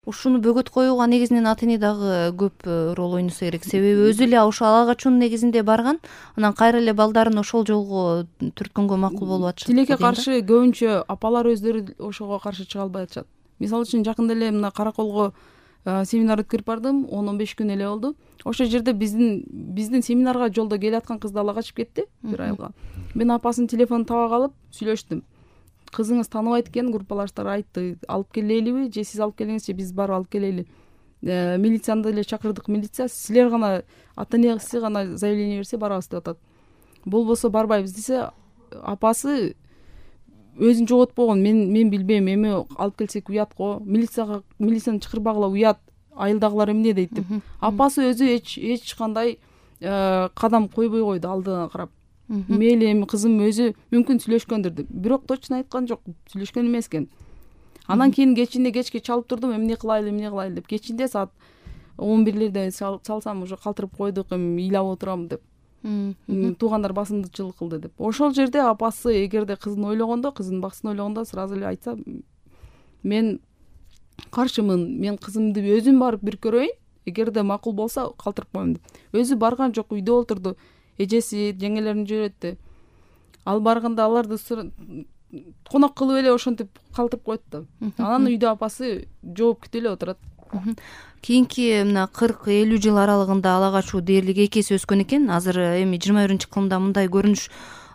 ушуну бөгөт коюуга негизинен ата эне дагы көп роль ойносо керек, себеби өзү эле ошо ала качуунун негизинде барган, анан кайра эле балдарын ошол жолго түрткөнгө макул болуп атышат. Тилекке каршы көбүнчө апалар өздөрү ошого каршы чыга албай атышат. Мисалы үчүн жакында эле мына Караколго семинар өткөрүп бардым, 10-15 күн эле болду. Ошол жерде биздин семинарга жолдо келаткан кызды ала качып кетти бир айылга. Мен апасынын телефонун таба калып сүйлөштүм. Кызыңыз тааныбайт экен, группалаштар айтты, алып келелиби же сиз алып келиңиз же биз барып алып келели. Милицияны деле чакырдык, милиция силер гана ата энеси гана заявление берсе барабыз деп атат. Болбосо барбайбыз десе, апасы өзүн жоготпогон, мен билбейм, эми алып келсек уят го, милицияны чакырбагыла уят, айылдагылар эмне дейт деп. Апасы өзү эч кандай кадам койбой койду алдына карап. Мейли эми кызым өзү мүмкүн сүйлөшкөндүр деп. Бирок точно айткан жок, сүйлөшкөн эмес экен. Анан кийин кечке чалып турдум, эмне кылайлы деп. Кечинде саат 11лерде салсам уже калтырып койдук, эми ыйлап отурам деп. Туугандар басымдычылык кылды деп. Ошол жерде апасы эгерде кызын ойлогондо, кызынын баксын ойлогондо сразу эле айтса, мен каршымын, мен кызымды өзүм барып бир көрөйүн, эгерде макул болсо калтырып коем деп. Өзү барган жок, үйдө отурду. Эжеси, жеңелерин жиберетти. Ал барганда аларды конок кылып эле ошентип калтырып коет да. Анан үйдө апасы жооп күтүп эле отурат. Кийинки мына 40-50 жыл аралыгында ала качуу дээрлик 2 эсе өскөн экен. Азыр эми 21-кылымда мындай көрүнүш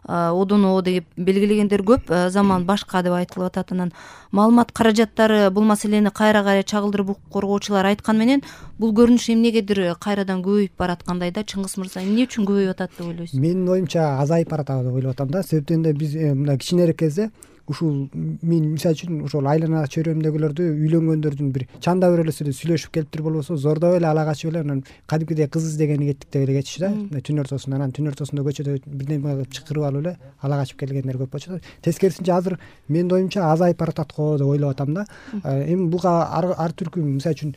одоно деп белгилегендер көп, заман башка деп айтылып атат. Анан маалымат каражаттары бул маселени кайра чагылдырып укук коргоочулар айткан менен бул көрүнүш эмнегедир кайрадан көбөйүп бараткандай да. Чыңгыз мырза, эмне үчүн көбөйүп атат деп ойлойсуз? Менин оюмча азайып баратат деп ойлоп атам да. Себептен да биз мына кичинерээк кезде ушул мен мисалы үчүн ошол айлана чөйрөмдөгүлөрдү үйлөнгөндөрдүн бир чанда бир эле сүйлөшүп келиптир, болбосо зордоп эле ала качып эле анан кадимкидей кыз издегени кеттик деп эле кетишти да. Түн ортосунда, анан түн ортосунда көчөдө бирдеме кылып чакырып алып эле ала качып келгендер көп болчу. Тескерисинче азыр менин оюмча азайып баратат го деп ойлоп атам да. Эми буга ар түркү мисалы үчүн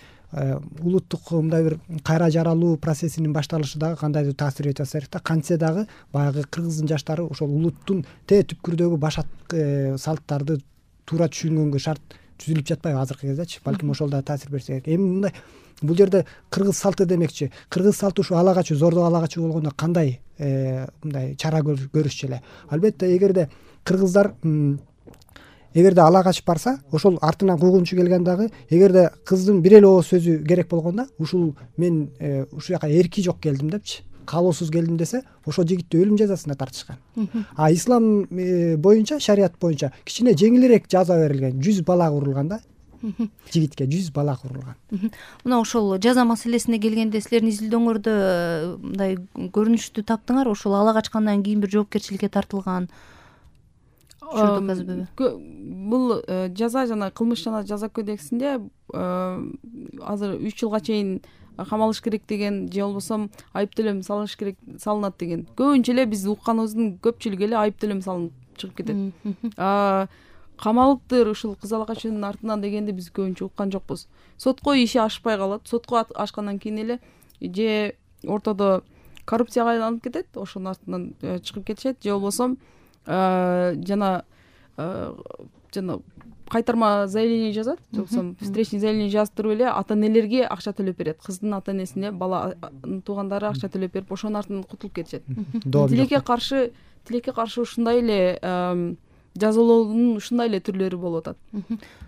улуттук мындай бир кайра жаралуу процессинин башталышы дагы кандайдыр таасир этип атса керек да. Кантсе дагы баягы кыргыздын жаштары ошол улуттун түпкүрдөгү башат салттарды туура түшүнгөнгө шарт түзүлүп жатпайбы азыркы кездечи? Балким ошол да таасир берсе керек. Эми мындай бул жерде кыргыз салты демекчи. Кыргыз салты ушу ала качуу, зордук ала качуу болгондо кандай мындай чара көрүшчү эле. Албетте эгерде ала качып барса, ошол артынан куугунчу келген дагы, эгерде кыздын бир эле ооз сөзү керек болгондо, ушул мен ушул жака эрки жок келдим депчи, каалоосуз келдим десе, ошол жигитти өлүм жазасына тартышкан. А ислам боюнча, шарият боюнча кичине жеңилирээк жаза берилген, 100 балак урулган да. Жигитке 100 балак урулган. Мына ошол жаза маселесине келгенде силердин изилдөөңөрдө мындай көрүнүштү таптыңар, ошол ала качкандан кийин бир жоопкерчиликке тартылган. Бул жаза жана кылмыш жана жаза кодексинде азыр 3 жылга чейин камалыш керек деген, же болбосо айып төлөм салыш керек, салынат деген. Көбүнчө эле биз укканыбыздын көпчүлүгү эле айып төлөм салынып чыгып кетет. Камалыптыр ушул кыз ала качуунун артынан дегенди биз көбүнчө уккан жокпуз. Сотко иши ашпай калат. Сотко ашкандан кийин эле же ортодо коррупцияга айланып кетет, ошонун артынан чыгып кетишет, же болбосо жана кайтарма заявление жазат, же болбосо встречный заявление жазып туруп эле ата энелерге акча төлөп берет. Кыздын ата энесине баланын туугандары акча төлөп берип, ошонун артынан кутулуп кетишет. Тилекке каршы ушундай эле жазалоонун ушундай эле түрлөрү болуп атат.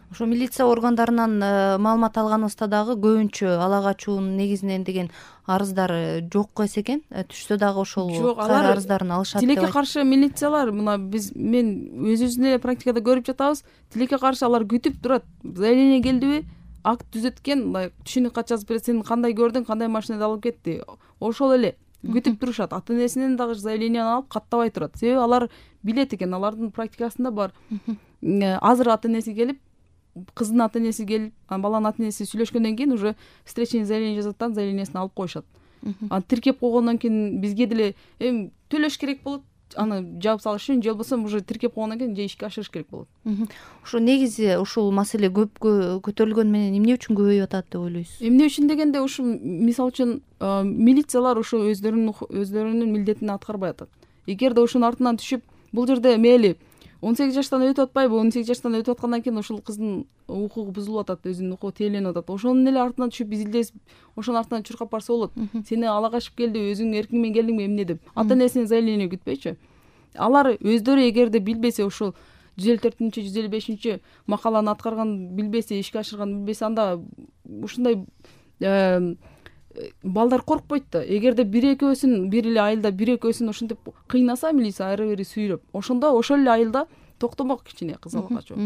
Ошо милиция органдарынан маалымат алганыбызда дагы көбүнчө ала качуунун негизинен деген арыздар жок эс экен. Түшсө дагы ошол арыздарын алышат. Тилекке каршы милициялар мына мен өзүбүздүн эле практикада көрүп жатабыз. Тилекке каршы алар күтүп турат. Заявление келдиби? Акт түзөткөн, мындай түшүнүк кат жазып берет. Сен кандай көрдүң, кандай машинада алып кетти? Ошол эле күтүп турушат. Ата энесинен дагы заявлениени алып каттабай турат. Себеби алар билет экен, алардын практикасында бар. Азыр ата энеси келип, кыздын ата энеси келип, баланын ата энеси сүйлөшкөндөн кийин уже встречный заявление жазат, заявлениясын алып коюшат. Аны тиркеп койгондон кийин бизге деле төлөш керек болот, аны жаап салыш үчүн, же болбосо уже тиркеп койгондон кийин же ишке ашырыш керек болот. Ошо негизи ушул маселе көп көтөрүлгөн менен эмне үчүн көбөйүп атат деп ойлойсуз? Эмне үчүн дегенде, ушу мисалы үчүн милициялар ушу өздөрүнүн милдетин аткарбай атат. Эгерде ушунун артынан түшүп, бул жерде мейли 18 жаштан өтүп атпайбы? 18 жаштан өтүп аткандан кийин ошол кыздын укугу бузулуп атат, өзүнүн укугу тейленип атат. Ошонун эле артынан түшүп изилдесип, ошонун артынан чуркап барса болот. Сени ала качып келди, өзүң эркиң менен келдиңби эмне деп. Ата энесинен заявление күтпөйчү. Алар өздөрү эгерде билбесе, ошол 154 155 макаланы аткарган билбесе, ишке ашырган билбесе, анда ушундай балдар коркпойт да. Эгерде бир экөөсүн бир эле айылда бир экөөсүн ошентип кыйнаса милиция ары бери сүйрөп, ошондо ошол эле айылда токтомок кичине кыз ала качуу.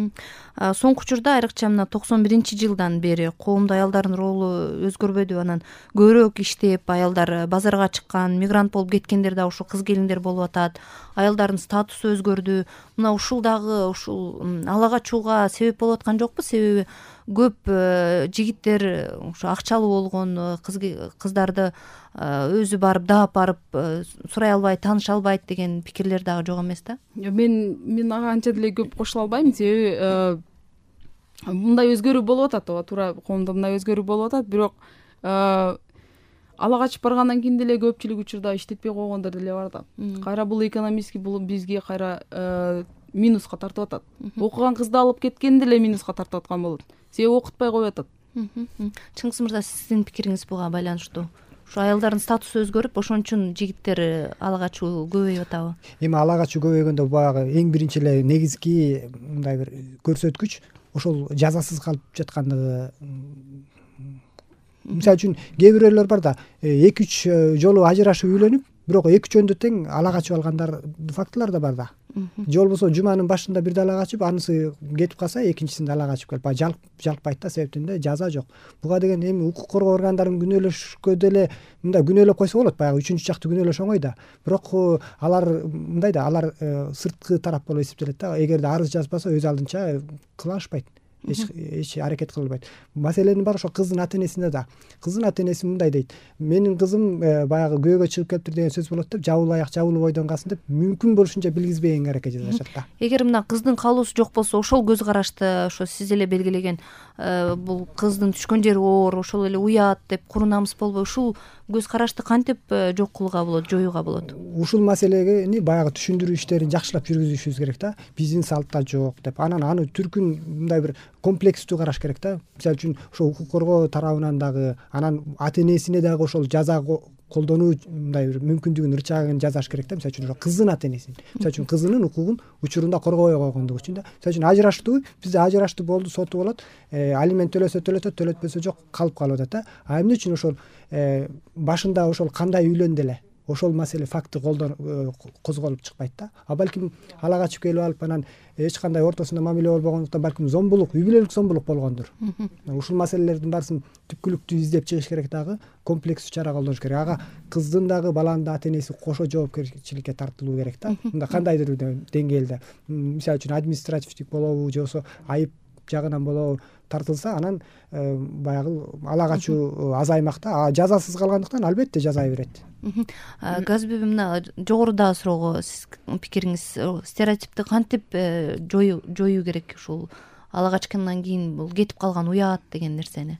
Соңку учурда айрыкча мына 91-жылдан бери коомдо аялдардын ролу өзгөрбөдү. Анан көбүрөөк иштеп, аялдар базарга чыккан, мигрант болуп кеткендер да ушул кыз келиндер болуп атат. Аялдардын статусу өзгөрдү. Мына ушул дагы ушул ала качууга себеп болуп аткан жокпу? Себеби көп жигиттер ушу акчалуу болгон кыздарды өзү барып даап барып сурай албайт, тааныша албайт деген пикирлер дагы жок эмес да. Мен ага анча деле көп кошула албайм, себеби мындай өзгөрүү болуп атат, ооба туура, коомдо мындай өзгөрүү болуп атат, бирок ала качып баргандан кийин деле көпчүлүк учурда иштетпей койгондор деле бар да. Кайра бул экономический бул бизге кайра минуска тартып атат. Окуган кызды алып кеткен деле минуска тартып аткан болот. Себеби окутпай коюп атат. Чыңгыз мырза, сиздин пикириңиз буга байланыштуу? Ушу аялдардын статусу өзгөрүп, ошон үчүн жигиттер ала качуу көбөйүп атабы? Эми ала качуу көбөйгөндө баягы эң биринчи эле негизги мындай бир көрсөткүч ошол жазасыз калып жаткандыгы. Мисалы үчүн кээ бирөөлөр бар да, 2-3 жолу ажырашып үйлөнүп, бирок 2 жөндө тең ала качып алгандар фактылар да бар да. Же болбосо жуманын башында бирде ала качып, анысы кетип калса, экинчисинде ала качып келип, баягы жалкпайт да, себептен да жаза жок. Буга деген эми укук коргоо органдарын күнөөлөшкө деле мындай күнөөлөп койсо болот, баягы 3-чү жакты күнөөлөш оңой да. Бирок алар мындай да, алар сырткы тарап болуп эсептелет да. Эгерде арыз жазбаса, өз алдынча кыла алышпайт. Эч аракет кылбайт. Маселенин баары ошо кыздын ата энесинде да. Кыздын ата энеси мындай дейт: менин кызым баягы күйөөгө чыгып келиптир деген сөз болот деп, жабылуу аяк жабылуу бойдон калсын деп, мүмкүн болушунча билгизбегенге аракет жасашат да. Эгер мына кыздын каалоосу жок болсо, ошол көз карашты ошо сиз эле белгилеген бул кыздын түшкөн жери оор, ошол эле уят деп куру намыс болбой, ушул көз карашты кантип жок кылууга болот, жоюуга болот? Ушул маселени баягы түшүндүрүү иштерин жакшылап жүргүзүшүбүз керек да. Биздин салтта жок деп. Анан аны түркүн мындай бир комплекстүү караш керек да. Мисалы үчүн ошо укук коргоо тарабынан дагы, анан ата энесине дагы ошол жаза колдонуу мындай бир мүмкүндүгүн ырчагын жасаш керек да. Мисалы үчүн ошо кыздын ата энесин, мисалы үчүн кызынын укугун учурунда коргобой койгондугу үчүн да. Мисалы үчүн ажыраштуу, бизде ажырашты болду, соту болот, алимент төлөсө төлөтөт, төлөтпөсө жок, калып калып атат да. А эмне үчүн ошол башында ошол кандай үйлөндү эле, ошол маселе факты козголуп чыкпайт да. А балким ала качып келип алып, анан эч кандай ортосунда мамиле болбогондуктан балким зомбулук, үй бүлөлүк зомбулук болгондур. Ушул маселелердин баарысын түпкүлүктүү издеп чыгыш керек дагы, комплекстүү чара колдонуш керек. Ага кыздын дагы, баланын да ата энеси кошо жоопкерчиликке тартылуу керек да. Мында кандайдыр деңгээлде, мисалы үчүн административдик болобу, же болбосо айып жагынан болобу тартылса, анан баягы ала качуу азаймак да. Жазасыз калгандыктан албетте жазай берет. Газбеби, мына жогорудагы суроого сиз пикириңиз, стереотипти кантип жоюу керек ушул ала качкандан кийин бул кетип калган уят деген нерсени?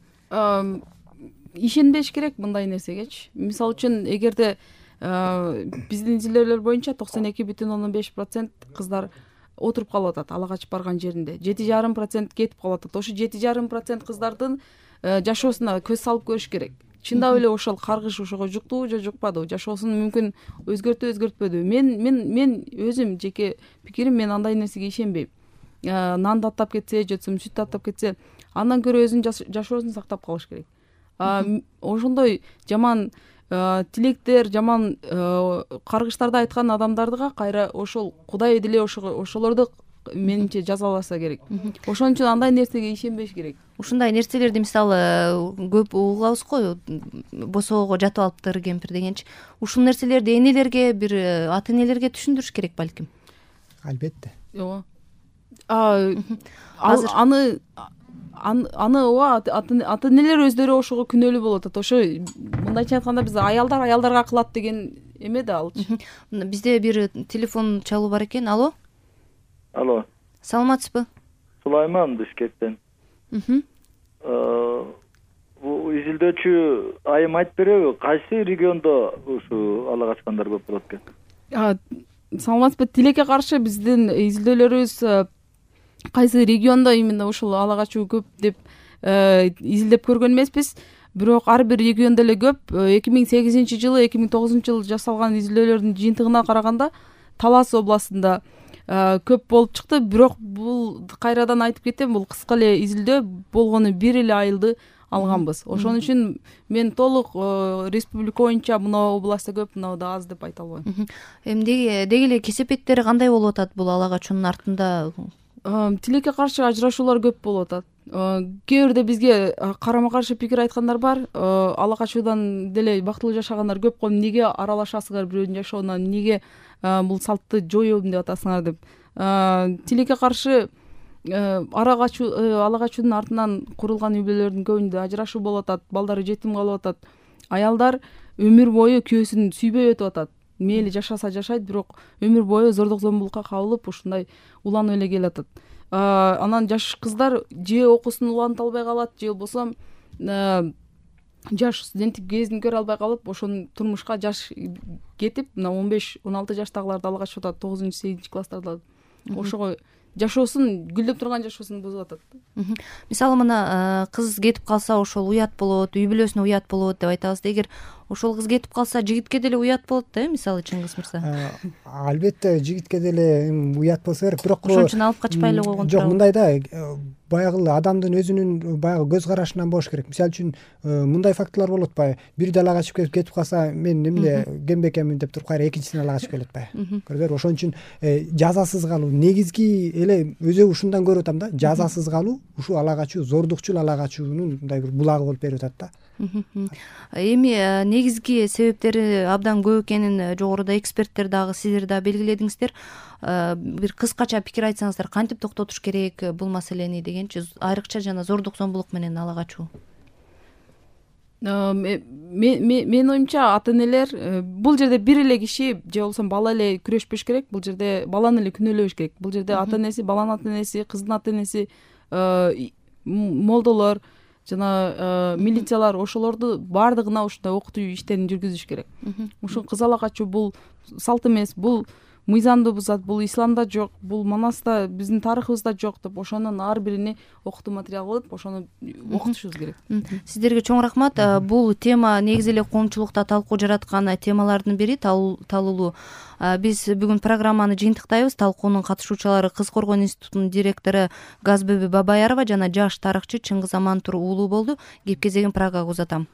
Ишенбеш керек мындай нерсегечи. Мисалы үчүн, эгерде биздин изилдөөлөр боюнча 92,5% кыздар отуруп калып атат ала качып барган жеринде, 7,5% кетип калып атат. Ошо 7,5% кыздардын жашоосуна көз салып көрүш керек. Чындап эле ошол каргыш ошого жуктубу же жукпадыбы, жашоосун мүмкүн өзгөртпөдүбү? Мен өзүм жеке пикирим, мен андай нерсеге ишенбейм. Нан таттап кетсе, же болбосо сүт таттап кетсе, андан көрө өзүнүн жашоосун сактап калыш керек. Ошондой жаман тилектер, жаман каргыштарды айткан адамдарга кайра ошол Кудай деле ошолорду менимче жазаласа керек. Ошон үчүн андай нерсеге ишенбеш керек. Ушундай нерселерди мисалы көп угабыз го, босоого жатып алыптыр кемпир дегенчи. Ушул нерселерди энелерге, бир ата энелерге түшүндүрүш керек балким. Албетте. Ооба. Аны ооба, ата энелер өздөрү ошого күнөөлүү болуп атат. Ошо мындайча айтканда биз аялдарга кылат деген эме да алчы. Бизде бир телефон чалуу бар экен. Алло. Алло. Саламатсызбы? Сулайман Бишкектен. Бул изилдөөчү айым айтып береби, кайсы региондо ушу ала качкандар көп болот экен? саламатсызбы. Тилекке каршы биздин изилдөөлөрүбүз кайсы региондо именно ушул ала качуу көп деп изилдеп көргөн эмеспиз. Бирок ар бир региондо эле көп. 2008-жылы 2009-жылы жасалган изилдөөлөрдүн жыйынтыгына караганда Талас областында көп болуп чыкты. Бирок бул кайрадан айтып кетем, бул кыска эле изилдөө болгону 1 эле айылды алганбыз. Ошон үчүн мен толук республика боюнча мына областта көп, мына да аз деп айта албайм. Эми деги эле кесепеттери кандай болуп атат бул ала качуунун артында? Тилекке каршы ажырашуулар көп болуп атат. Кээ бирде бизге карама каршы пикир айткандар бар. Ала качуудан деле бактылуу жашагандар көп го. Эмнеге аралашасыңар бирөөнүн жашоонуна, эмнеге бул салтты жоёбун деп атасыңар деп. Тилекке каршы ала качуунун артынан курулган үй бүлөлөрдүн көбүндө ажырашуу болуп атат, балдары жетим калып атат. Аялдар өмүр бою күйөөсүн сүйбөй өтүп атат. Мейли жашаса жашайт, бирок өмүр бою зордук зомбулукка кабылып, ушундай уланып эле келатат. Анан жаш кыздар же окуусун уланта албай калат, же болбосо жаш студенттик кезин көрө албай калып, ошону турмушка жаш кетип, мына 15-16 жаштагыларды ала качып атат, 9-8 класстарда. Ошого жашоосун, гүлдөп турган жашоосун бузуп атат. Мисалы мына кыз кетип калса ошол уят болот, үй бүлөсүнө уят болот деп айтабыз. Эгер ошол кыз кетип калса жигитке деле уят болот да, мисалы Чыңгыз мырза. Албетте жигитке деле уят болсо керек, бирок ошон үчүн алып качпай эле койгон жок, мындай да, баягы адамдын өзүнүн баягы көз карашынан болуш керек. Мисалы үчүн мындай фактылар болуп атпайбы? Бирди ала качып кетип калса, мен эмне кембекемин деп туруп кайра экинчисин ала качып келет атпайбы? Көрдүңөрбү? Ошон үчүн жазасыз калуу негизги эле өзү ушундан көрүп атам да, жазасыз калуу ушул ала качуу, зордукчул ала качуунун мындай бир булагы болуп берип атат да. Эми негизги себептери абдан көп экенин жогоруда эксперттер дагы, сиздер дагы белгиледиңиздер. Бир кыскача пикир айтсаңыздар, кантип токтотуш керек бул маселени дегенчи, айрыкча жана зордук зомбулук менен ала качуу? Менин оюмча ата энелер бул жерде бир эле киши же болбосо бала эле күрөшпөш керек. Бул жерде баланы эле күнөөлөбөш керек. Бул жерде ата энеси, баланын ата энеси, кыздын ата энеси, молдолор жана милициялар, ошолорду баардыгына ушундай окутуу иштерин жүргүзүш керек. Ушул кыз ала качуу бул салт эмес, бул мыйзамды бузат, бул исламда жок, бул Манаста, биздин тарыхыбызда жок деп, ошонун ар бирине окутуу материал кылып, ошону окутушубуз керек. Сиздерге чоң рахмат. Бул тема негизи эле коомчулукта талкуу жараткан темалардын бири, талуулуу. Биз бүгүн программаны жыйынтыктайбыз. Талкуунун катышуучулары Кыз коргоо институтунун директору Газбеби Бабаярова жана жаш тарыхчы Чыңгыз Амантур уулу болду. Кеп кезегин Прагага узатам.